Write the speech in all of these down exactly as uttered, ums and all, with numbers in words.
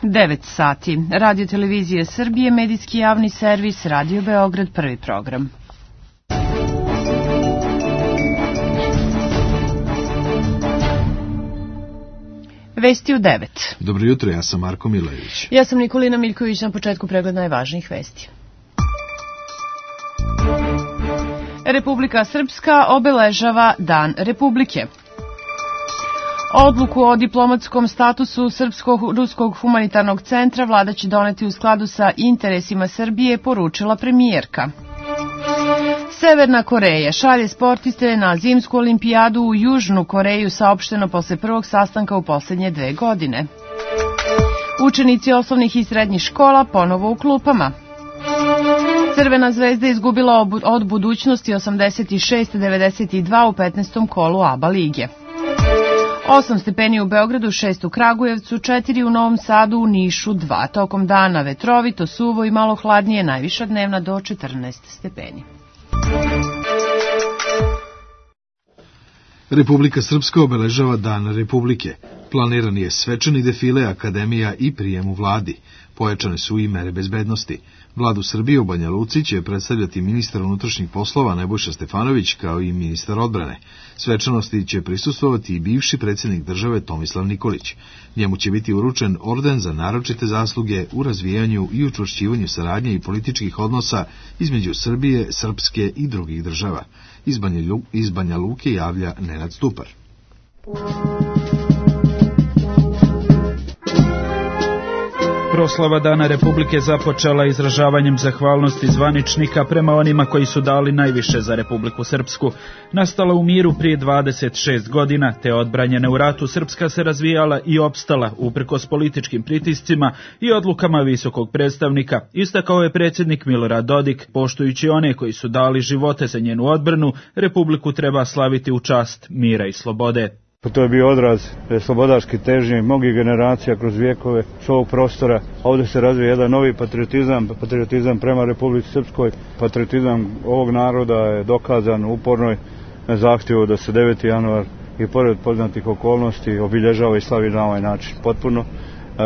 devet sati. Radio Televizije Srbije, medijski javni servis, Radio Beograd, prvi program. Vesti u devet. Dobro jutro, ja sam Marko Milojević. Ja sam Nikolina Miljković, na početku pregled najvažnijih vesti. Republika Srpska obeležava Dan Republike. Odluku o diplomatskom statusu Srpsko-ruskog humanitarnog centra vlada će doneti u skladu sa interesima Srbije, poručila premijerka. Severna Koreja šalje sportiste na zimsku olimpijadu u Južnu Koreju, saopšteno posle prvog sastanka u poslednje dve godine. Učenici osnovnih i srednjih škola ponovo u klupama. Crvena zvezda izgubila od budućnosti osamdeset šest devedeset dva u petnaestom kolu A B A lige. osam stepeni u Beogradu, šest u Kragujevcu, četiri u Novom Sadu, u Nišu dva. Tokom dana vetrovito, suvo i malo hladnije, najviša dnevna do četrnaest stepeni. Republika Srpska obeležava Dan Republike. Planiran je svečani defile akademija i prijem u vladi. Pojačane su i mere bezbednosti. Vladu Srbije u Banja Luci će predstavljati ministar unutrašnjih poslova Nebojša Stefanović kao i ministar odbrane. Svečanosti će prisustvovati i bivši predsjednik države Tomislav Nikolić. Njemu će biti uručen orden za naročite zasluge u razvijanju i učvršćivanju saradnje i političkih odnosa između Srbije, Srpske i drugih država. Iz Banja, iz Banja Luke javlja Nenad Stupar. Proslava Dana Republike započela izražavanjem zahvalnosti zvaničnika prema onima koji su dali najviše za Republiku Srpsku. Nastala u miru prije dvadeset šest godina, te odbranjena u ratu, Srpska se razvijala i opstala uprkos političkim pritiscima i odlukama visokog predstavnika, istakao je predsjednik Milorad Dodik. Poštujući one koji su dali živote za njenu odbranu, Republiku treba slaviti u čast mira i slobode. To je bio odraz slobodaške težnje mnogih generacija kroz vijekove s ovog prostora. Ovdje se razvija jedan novi patriotizam, patriotizam prema Republici Srpskoj. Patriotizam ovog naroda je dokazan u upornoj zahtjevu da se deveti januar i pored poznatih okolnosti obilježava i slavi na ovaj način. Potpuno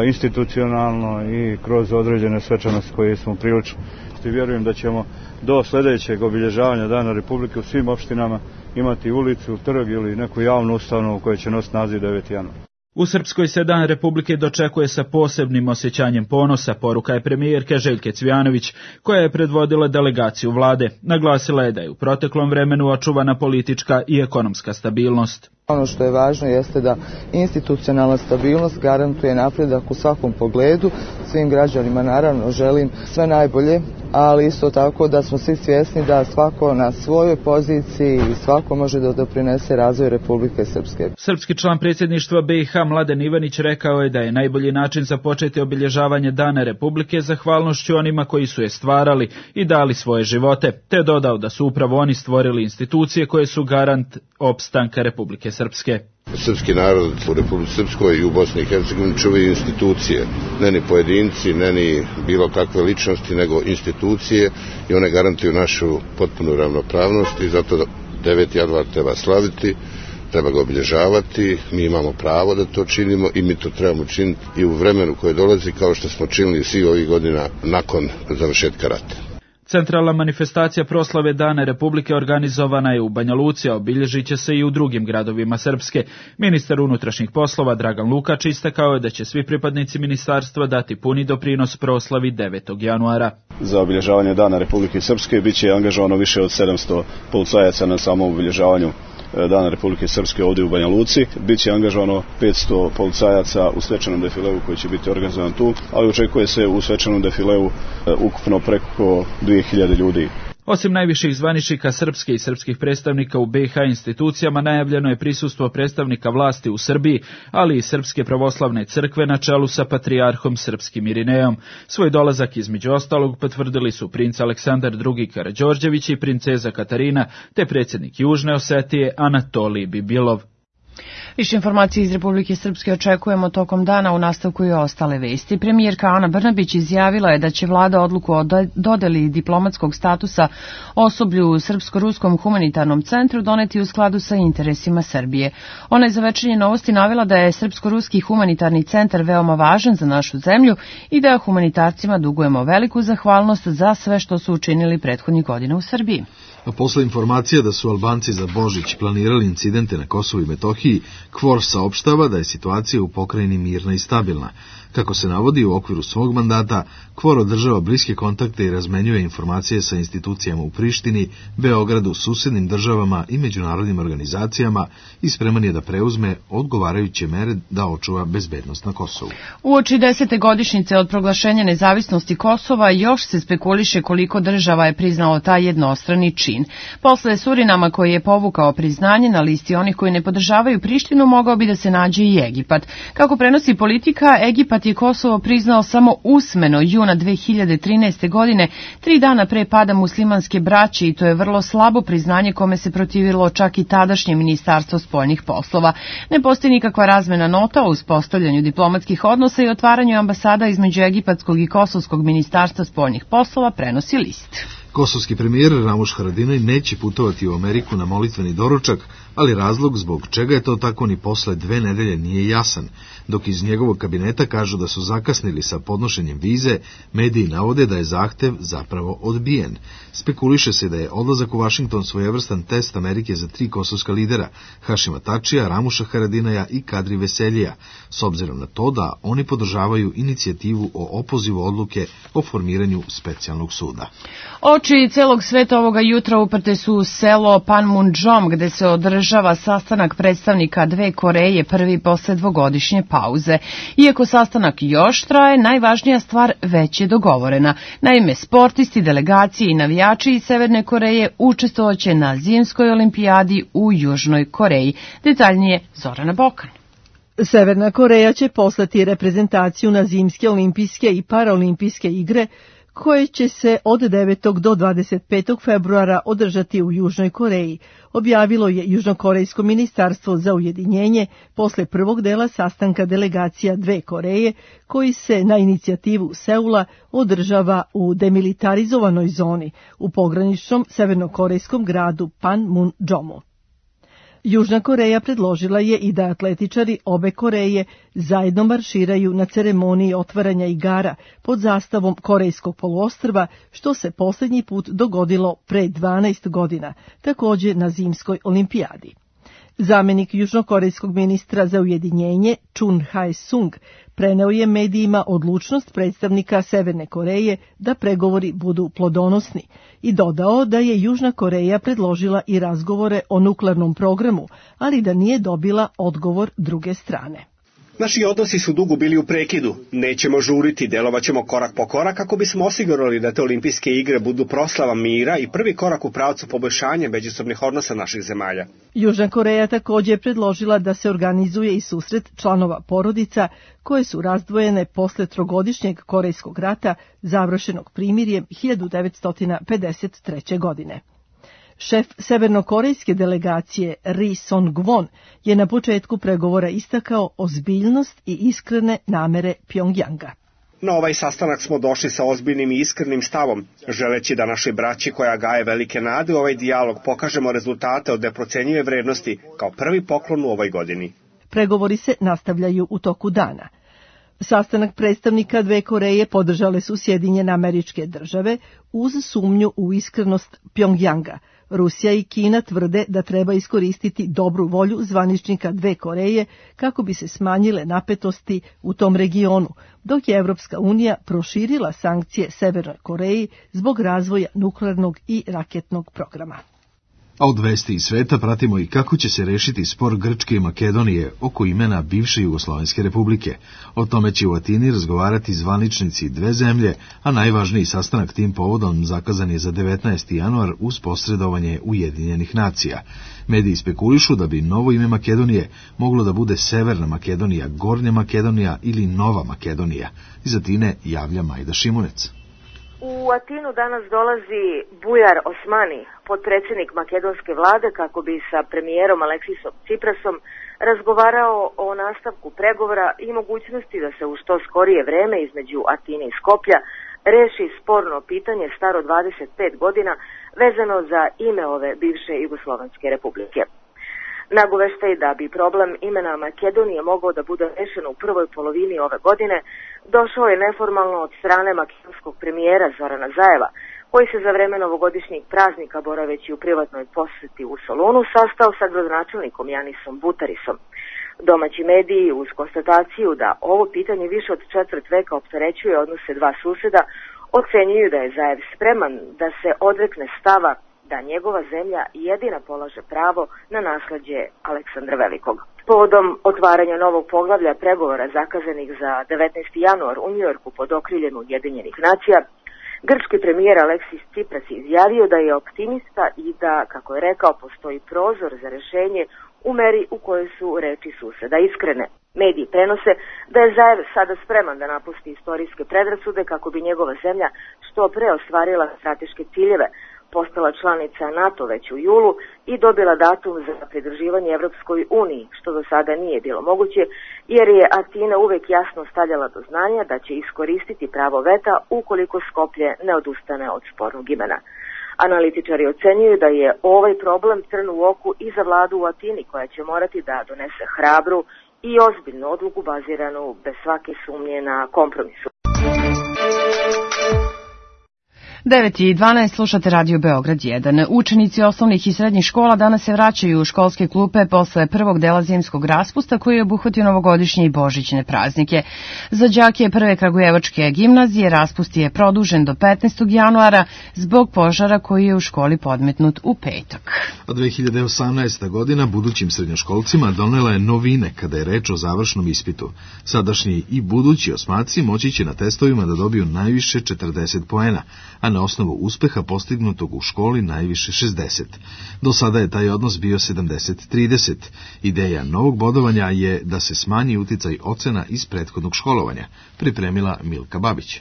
institucionalno i kroz određene svečanosti koje smo prilično. I vjerujem da ćemo do sljedećeg obilježavanja Dana Republike u svim opštinama imati ulicu, trg ili neku javnu ustanovu koja će nositi naziv deveti januar. U Srpskoj se Dan Republike dočekuje sa posebnim osjećanjem ponosa, poruka je premijerke Željke Cvijanović, koja je predvodila delegaciju vlade. Naglasila je da je u proteklom vremenu očuvana politička i ekonomska stabilnost. Ono što je važno jeste da institucionalna stabilnost garantuje napredak u svakom pogledu. Svim građanima naravno želim sve najbolje, ali isto tako da smo svi svjesni da svako na svojoj poziciji i svako može da doprinese razvoju Republike Srpske. Srpski član predsjedništva B i H Mladen Ivanić rekao je da je najbolji način započeti obilježavanje Dana Republike zahvalnošću onima koji su je stvarali i dali svoje živote, te dodao da su upravo oni stvorili institucije koje su garant opstanka Republike Srpske. Srpski narod u Republici Srpskoj i u Bosni i Hercegovini čuvaju institucije, ne ni pojedinci, ne ni bilo kakve ličnosti, nego institucije, i one garantuju našu potpunu ravnopravnost i zato deveti januar treba slaviti, treba ga obilježavati, mi imamo pravo da to činimo i mi to trebamo činiti i u vremenu koje dolazi, kao što smo činili svi ovih godina nakon završetka rata. Centralna manifestacija proslave Dana Republike organizovana je u Banja Luci, a obilježit će se i u drugim gradovima Srpske. Ministar unutrašnjih poslova Dragan Lukač istakao je da će svi pripadnici ministarstva dati puni doprinos proslavi devetog januara. Za obilježavanje Dana Republike Srpske bit će angažovano više od sedamsto policajaca na samom obilježavanju Dana Republike Srpske ovdje u Banja Luci. Biće angažovano petsto policajaca u svečanom defileu koji će biti organizovan tu, ali očekuje se u svečanom defileu ukupno preko dvije hiljade ljudi. Osim najviših zvaničnika Srpske i srpskih predstavnika u B i H institucijama, najavljeno je prisustvo predstavnika vlasti u Srbiji, ali i Srpske pravoslavne crkve na čelu sa patrijarhom srpskim Irinejom. Svoj dolazak između ostalog potvrdili su princ Aleksandar drugi Karađorđević i princeza Katarina, te predsjednik Južne Osetije Anatolij Bibilov. Više informacije iz Republike Srpske očekujemo tokom dana, u nastavku i ostale vesti. Premijerka Ana Brnabić izjavila je da će vlada odluku o dodeli diplomatskog statusa osoblju u Srpsko-ruskom humanitarnom centru doneti u skladu sa interesima Srbije. Ona je za Večernje novosti navela da je Srpsko-ruski humanitarni centar veoma važan za našu zemlju i da humanitarcima dugujemo veliku zahvalnost za sve što su učinili prethodnih godina u Srbiji. A posle informacija da su Albanci za Božić planirali incidente na Kosovu i Metohiji, KFOR saopštava da je situacija u pokrajini mirna i stabilna. Kako se navodi, u okviru svog mandata, KFOR održava bliske kontakte i razmenjuje informacije sa institucijama u Prištini, Beogradu, susednim državama i međunarodnim organizacijama i spreman je da preuzme odgovarajuće mere da očuva bezbednost na Kosovu. Uoči desete godišnjice od proglašenja nezavisnosti Kosova još se spekuliše koliko država je priznalo taj jednostrani čin. Posle Surinama koji je povukao priznanje, na listi onih koji ne podržavaju Prištinu mogao bi da se nađe i Egipat. Kako prenosi Politika, Egipat je Kosovo priznao samo usmeno juna dve hiljade trinaeste. godine, tri dana pre pada muslimanske braće, i to je vrlo slabo priznanje kome se protivilo čak i tadašnje Ministarstvo spoljnih poslova. Ne postoji nikakva razmena nota o uspostavljanju diplomatskih odnosa i otvaranju ambasada između egipatskog i kosovskog Ministarstva spoljnih poslova, prenosi List. Kosovski premijer Ramuš Haradinaj neće putovati u Ameriku na molitveni doručak, ali razlog zbog čega je to tako ni posle dve nedelje nije jasan. Dok iz njegovog kabineta kažu da su zakasnili sa podnošenjem vize, mediji navode da je zahtev zapravo odbijen. Spekuliše se da je odlazak u Vašington svojevrstan test Amerike za tri kosovska lidera, Hašima Tačija, Ramuša Haradinaja i Kadri Veseljija, s obzirom na to da oni podržavaju inicijativu o opozivu odluke o formiranju specijalnog suda. Oči celog sveta ovoga jutra uprte su u selo Panmunjom, gde se održava sastanak predstavnika dve Koreje, prvi posle dvogodišnje pauze. Iako sastanak još traje, najvažnija stvar već je dogovorena. Naime, sportisti, delegacije i navijači iz Severne Koreje učestvovaće na zimskoj olimpijadi u Južnoj Koreji. Detaljnije Zorana Bokan. Severna Koreja će poslati reprezentaciju na zimske olimpijske i paraolimpijske igre koje će se od devetog do dvadeset petog februara održati u Južnoj Koreji, objavilo je Južnokorejsko ministarstvo za ujedinjenje posle prvog dela sastanka delegacija dve Koreje, koji se na inicijativu Seula održava u demilitarizovanoj zoni u pograničnom severnokorejskom gradu Panmunjomu. Južna Koreja predložila je i da atletičari obe Koreje zajedno marširaju na ceremoniji otvaranja igara pod zastavom Korejskog poluostrva, što se posljednji put dogodilo pre dvanaest godina, također na zimskoj olimpijadi. Zamenik južnokorejskog ministra za ujedinjenje Chun Hae-sung preneo je medijima odlučnost predstavnika Severne Koreje da pregovori budu plodonosni i dodao da je Južna Koreja predložila i razgovore o nuklearnom programu, ali da nije dobila odgovor druge strane. Naši odnosi su dugo bili u prekidu. Nećemo žuriti, delovaćemo korak po korak kako bismo osigurali da te olimpijske igre budu proslava mira i prvi korak u pravcu poboljšanja međusobnih odnosa naših zemalja. Južna Koreja također je predložila da se organizuje i susret članova porodica koje su razdvojene posle trogodišnjeg Korejskog rata završenog primirjem hiljadu devetsto pedeset treće. godine. Šef severnokorejske delegacije Ri Song-won je na početku pregovora istakao ozbiljnost i iskrene namere Pjongjanga. Na ovaj sastanak smo došli sa ozbiljnim i iskrenim stavom, želeći da našoj braći koja gaje velike nade u ovaj dijalog pokažemo rezultate od neprocenjive vrednosti kao prvi poklon u ovoj godini. Pregovori se nastavljaju u toku dana. Sastanak predstavnika dve Koreje podržale su Sjedinjene Američke Države uz sumnju u iskrenost Pjongjanga. Rusija i Kina tvrde da treba iskoristiti dobru volju zvaničnika dve Koreje kako bi se smanjile napetosti u tom regionu, dok je Evropska unija proširila sankcije Severnoj Koreji zbog razvoja nuklearnog i raketnog programa. A od vesti iz sveta pratimo i kako će se rešiti spor Grčke i Makedonije oko imena bivše Jugoslovenske republike. O tome će u Atini razgovarati zvaničnici dve zemlje, a najvažniji sastanak tim povodom zakazan je za devetnaesti januar uz posredovanje Ujedinjenih nacija. Mediji spekulišu da bi novo ime Makedonije moglo da bude Severna Makedonija, Gornja Makedonija ili Nova Makedonija. Iz Atine javlja Majda Šimunec. U Atinu danas dolazi Bujar Osmani, potpredsjednik makedonske vlade, kako bi sa premijerom Aleksisom Ciprasom razgovarao o nastavku pregovora i mogućnosti da se u što skorije vreme između Atine i Skoplja reši sporno pitanje staro dvadeset pet godina vezano za ime ove bivše Jugoslovenske republike. Nagoveštaj da bi problem imena Makedonije mogao da bude rešen u prvoj polovini ove godine došao je neformalno od strane makedonskog premijera Zorana Zajeva, koji se za vreme novogodišnjeg praznika boraveći u privatnoj poseti u Solunu sastao sa gradonačelnikom Janisom Butarisom. Domaći mediji uz konstataciju da ovo pitanje više od četvrt veka opterećuje odnose dva suseda, ocenjuju da je Zajev spreman da se odrekne stava da njegova zemlja jedina polaže pravo na nasleđe Aleksandra Velikog. Povodom otvaranja novog poglavlja pregovora zakazanih za devetnaesti januar u Njujorku pod okriljem Ujedinjenih nacija, grčki premijer Aleksis Tsipras je izjavio da je optimista i da, kako je rekao, postoji prozor za rešenje u meri u kojoj su reči suseda iskrene. Mediji prenose da je Zajev sada spreman da napusti istorijske predrasude kako bi njegova zemlja što pre ostvarila strateške ciljeve, postala članica NATO već u julu i dobila datum za pridruživanje Evropskoj uniji, što do sada nije bilo moguće, jer je Atina uvek jasno stavljala do znanja da će iskoristiti pravo veta ukoliko Skoplje ne odustane od spornog imena. Analitičari ocenjuju da je ovaj problem trn u oku i za vladu u Atini, koja će morati da donese hrabru i ozbiljnu odluku baziranu bez svake sumnje na kompromisu. devet i dvanaest slušate Radio Beograd jedan. Učenici osnovnih i srednjih škola danas se vraćaju u školske klupe posle prvog dela zimskog raspusta koji je obuhvatio novogodišnje i božićne praznike. Za đake prve kragujevačke gimnazije raspust je produžen do petnaestog januara zbog požara koji je u školi podmetnut u petak. A dve hiljade osamnaesta. godina budućim srednjoškolcima donela je novine kada je reč o završnom ispitu. Sadašnji i budući osmaci moći će na testovima da dobiju najviše četrdeset poena, a na osnovu uspeha postignutog u školi najviše šezdeset. Do sada je taj odnos bio sedamdeset trideset. Ideja novog bodovanja je da se smanji uticaj ocena iz prethodnog školovanja, pripremila Milka Babić.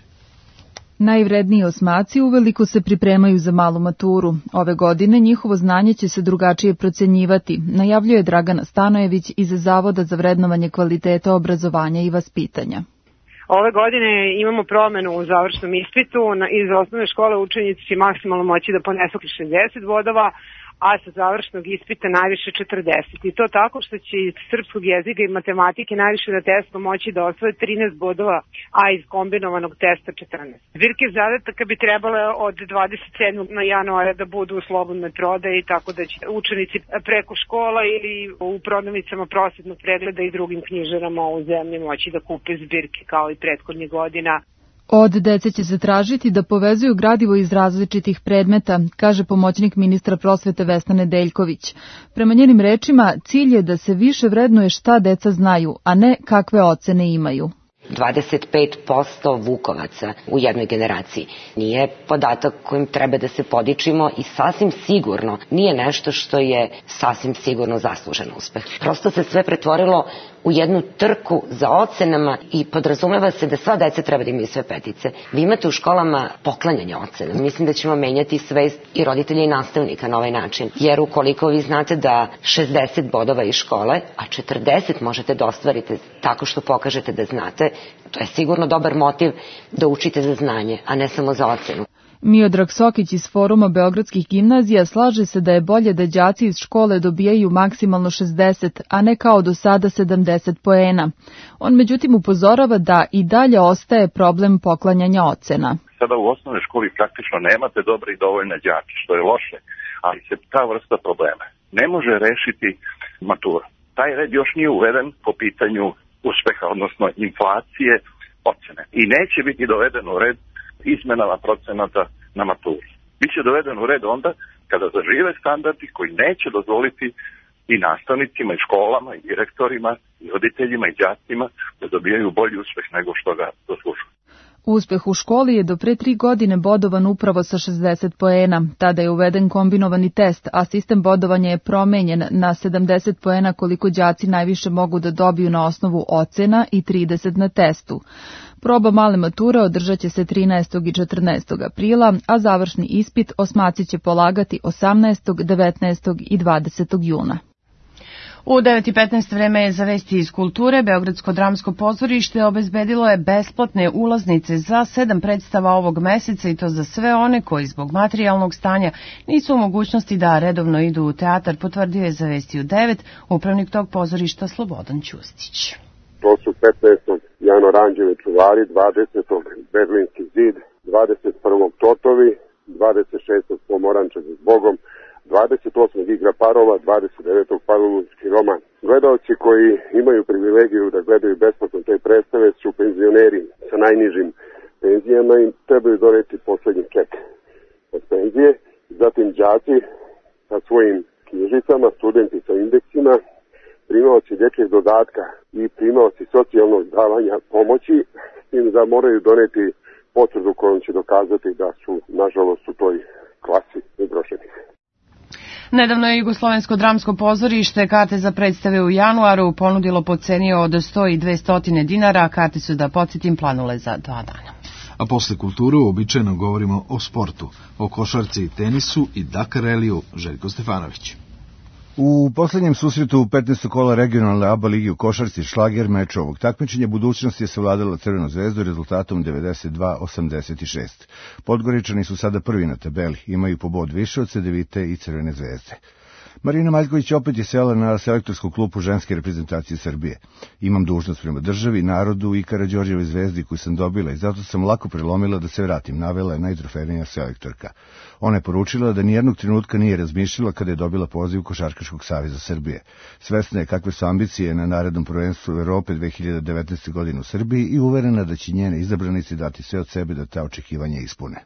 Najvredniji osmaci uveliko se pripremaju za malu maturu. Ove godine njihovo znanje će se drugačije procenjivati, najavljuje Dragana Stanojević iz Zavoda za vrednovanje kvaliteta obrazovanja i vaspitanja. Ove godine imamo promenu u završnom ispitu. Iz osnovne škole učenici će maksimalno moći da ponesu šezdeset bodova, a sa završnog ispita najviše četrdeset. I to tako što će iz srpskog jezika i matematike najviše na testu moći da osvoje trinaest bodova, a iz kombinovanog testa četrnaest. Zbirke zadataka bi trebale od dvadeset sedmog januara da budu u slobodnoj prodaji, tako da će učenici preko škola ili u prodavnicama prosvetnog pregleda i drugim knjižarama u zemlji moći da kupe zbirke kao i prethodnih godina. Od dece će se tražiti da povezuju gradivo iz različitih predmeta, kaže pomoćnik ministra prosvete Vesna Nedeljković. Prema njenim rečima, cilj je da se više vrednuje šta deca znaju, a ne kakve ocene imaju. dvadeset pet posto vukovaca u jednoj generaciji nije podatak kojim treba da se podičimo i sasvim sigurno nije nešto što je sasvim sigurno zaslužen uspeh. Prosto se sve pretvorilo u jednu trku za ocenama i podrazumeva se da sva deca treba da imaju sve petice. Vi imate u školama poklanjanje ocena. Mislim da ćemo menjati svest i roditelja i nastavnika na ovaj način. Jer ukoliko vi znate da šezdeset bodova iz škole, a četrdeset možete da ostvarite tako što pokažete da znate, to je sigurno dobar motiv da učite za znanje, a ne samo za ocenu. Miodrag Sokić iz Foruma Beogradskih gimnazija slaže se da je bolje da đaci iz škole dobijaju maksimalno šezdeset, a ne kao do sada sedamdeset poena. On međutim upozorava da i dalje ostaje problem poklanjanja ocena. Sada u osnovnoj školi praktično nemate dobre i dovoljne đake, što je loše, ali se ta vrsta problema ne može rešiti matura. Taj red još nije uveden po pitanju uspeha, odnosno inflacije ocene. I neće biti doveden u red izmenama procenata na maturi. Biće doveden u red onda kada zažive standardi koji neće dozvoliti i nastavnicima, i školama, i direktorima, i roditeljima, i đacima da dobijaju bolji uspeh nego što ga zaslužuju. Uspeh u školi je do pre tri godine bodovan upravo sa šezdeset poena. Tada je uveden kombinovani test, a sistem bodovanja je promenjen na sedamdeset poena koliko đaci najviše mogu da dobiju na osnovu ocena i trideset na testu. Proba male mature održat će se trinaestog i četrnaestog aprila, a završni ispit osmaci će polagati osamnaestog, devetnaestog i dvadesetog juna. U devet i petnaest vreme je za vesti iz kulture. Beogradsko dramsko pozorište obezbedilo je besplatne ulaznice za sedam predstava ovog meseca i to za sve one koji zbog materijalnog stanja nisu u mogućnosti da redovno idu u teatar, potvrdio je za vesti u devet upravnik tog pozorišta Slobodan Ćustić. To su petnaestog Jano Ranđevi čuvari, dvadesetog Berlinski zid, dvadeset prvog Totovi, dvadeset šestog Pomoranče za zbogom, dvadeset osmog Igra parova, dvadeset devetog Pavlovski roman. Gledaoci koji imaju privilegiju da gledaju besplatno te predstave su penzioneri sa najnižim penzijama i trebaju doneti poslednji ček od penzije. Zatim đaci sa svojim knjižicama, studenti sa indeksima, primaoci dječjeg dodatka i primaoci socijalnog davanja pomoći, s tim da moraju doneti potvrdu kojom će dokazati da su, nažalost, u toj klasi ugroženih. Nedavno je Jugoslovensko dramsko pozorište karte za predstave u januaru ponudilo po ceni od sto i dvesta dinara, a karte su, da podsjetim, planule za dva dana. A posle kulturu uobičajeno govorimo o sportu, o košarci i tenisu i Dakar Ralliju. Željko Stefanović. U poslednjem susretu petnaestog kola regionalne A B A ligi u košarci šlager meč ovog takmičenja budućnost je savladala Crvenu zvezdu rezultatom devedeset dva osamdeset šest. Podgoričani su sada prvi na tabeli, imaju po bod više od Cedevite i Crvene zvezde. Marina Maljković opet je sela na selektorsku klupu ženske reprezentacije Srbije. Imam dužnost prema državi, narodu i Karađorđevoj zvezdi koju sam dobila i zato sam lako prelomila da se vratim, navela je najtrofejnija selektorka. Ona je poručila da nijednog trenutka nije razmišljala kada je dobila poziv Košarkaškog saveza Srbije. Svesna je kakve su ambicije na narednom prvenstvu Evrope dve hiljade devetnaeste. godine u Srbiji i uverena da će njene izabranici dati sve od sebe da ta očekivanja ispune.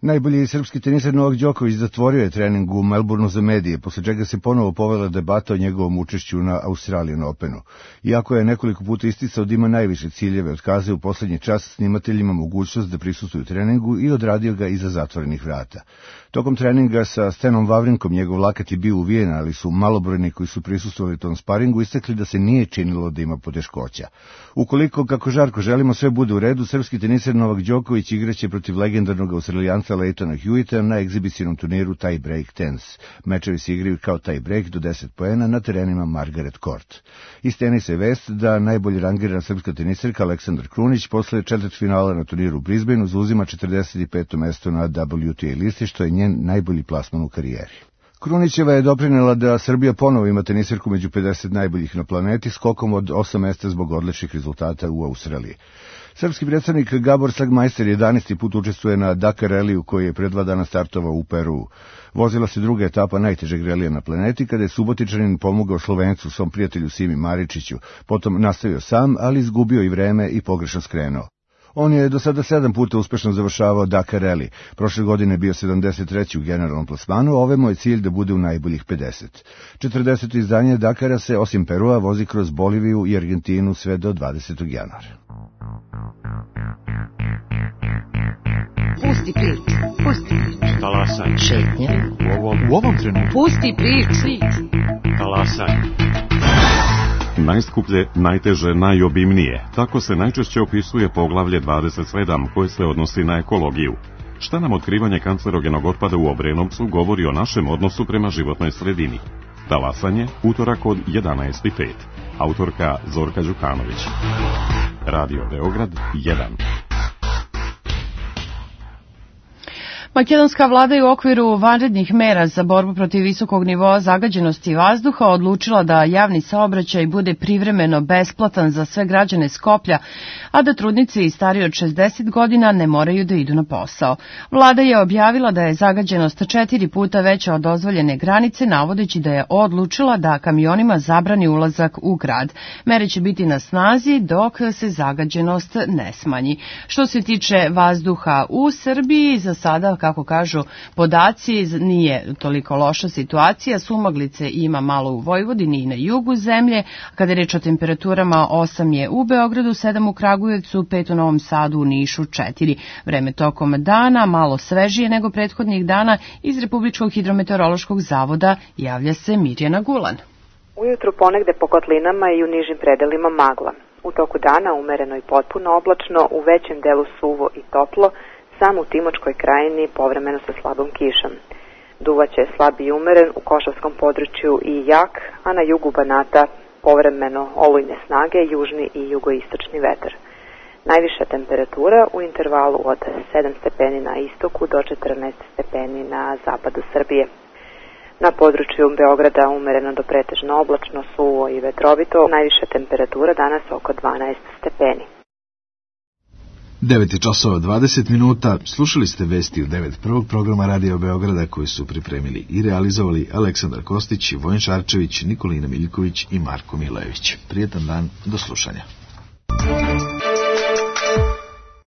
Najbolji srpski teniser Novak Đoković zatvorio je trening u Melbourneu za medije, posle čega se ponovo povela debata o njegovom učešću na Australian Openu. Iako je nekoliko puta isticao da ima najviše ciljeve, otkazao u poslednji čas snimateljima mogućnost da prisustvuju treningu i odradio ga iza zatvorenih vrata. Tokom treninga sa Stenom Vavrinkom njegov lakat je bio uvijen, ali su malobrojni koji su prisustvovali tom sparingu istakli da se nije činilo da ima poteškoća. Ukoliko, kako žarko želimo, sve bude u redu, srpski teniser Novak Đoković igraće protiv legendarnog Australijanca Leightona Hewita na egzibicionom turniru Tie Break Tennis. Mečevi se igraju kao tie break do deset poena na terenima Margaret Court. Iz tenisa je vest da najbolje rangirana srpska teniserka Aleksandar Krunić posle četvrtfinala na turniru u Brisbaneu zauzima četrdeset peto mesto na W T A listi, što je njen najbolji plasman u karijeri. Krunićeva je doprinela da Srbija ponovo ima teniserku među pedeset najboljih na planeti, skokom od osam mesta zbog odličnih rezultata u Australiji. Srpski predstavnik Gabor Sagmajster jedanaesti put učestvuje na Dakar Ralliju koji je pre dva dana startovao u Peruu. Vozila se druga etapa najtežeg relija na planeti kada je Subotičanin pomogao Slovencu, svom prijatelju Simi Maričiću, potom nastavio sam, ali izgubio i vreme i pogrešno skrenuo. On je do sada sedam puta uspešno završavao Dakar Rally. Prošle godine je bio sedamdeset treći u generalnom plasmanu, a ove mu je cilj da bude u najboljih pedeset. četrdeseto izdanje Dakara se osim Perua vozi kroz Boliviju i Argentinu sve do dvadesetog januara. Pusti priču, pusti priču. Talasaj. Šetnje. U ovom, u ovom trenutku. Pusti priču. Talasaj. Najskuplje, najteže, najobimnije. Tako se najčešće opisuje poglavlje dvadeset sedam koje se odnosi na ekologiju. Šta nam otkrivanje kancerogenog otpada u Obrenovcu govori o našem odnosu prema životnoj sredini? Talasanje, utorak od jedanaest i pet. Autorka Zorka Đukanović. Radio Beograd jedan. Makedonska vlada je u okviru vanrednih mera za borbu protiv visokog nivoa zagađenosti vazduha odlučila da javni saobraćaj bude privremeno besplatan za sve građane Skoplja, a da trudnice i stariji od šezdeset godina ne moraju da idu na posao. Vlada je objavila da je zagađenost četiri puta veća od dozvoljene granice, navodeći da je odlučila da kamionima zabrani ulazak u grad. Mere će biti na snazi dok se zagađenost ne smanji. Što se tiče vazduha u Srbiji, za sada, kako kažu podaci, nije toliko loša situacija. Sumaglice ima malo u Vojvodini i na jugu zemlje. Kada je reč o temperaturama, osam je u Beogradu, sedam u Kragujevcu, pet u Novom Sadu, u Nišu, četiri. Vreme tokom dana malo svežije nego prethodnih dana. Iz Republičkog hidrometeorološkog zavoda javlja se Mirjana Gulan. Ujutru ponegde po kotlinama i u nižim predelima magla. U toku dana umereno i potpuno oblačno, u većem delu suvo i toplo, samo u Timočkoj krajini povremeno sa slabom kišom. Duvaće slab i umeren, u Košavskom području i jak, a na jugu Banata povremeno olujne snage, južni i jugoistočni vetar. Najviša temperatura u intervalu od sedam stepeni na istoku do četrnaest stepeni na zapadu Srbije. Na području Beograda umereno do pretežno oblačno, suvo i vetrovito, najviša temperatura danas oko dvanaest stepeni. devet časova dvadeset minuta, slušali ste vesti u devet prvog programa Radio Beograda koji su pripremili i realizovali Aleksandar Kostić, Vojin Šarčević, Nikolina Miljković i Marko Milojević. Prijetan dan, do slušanja.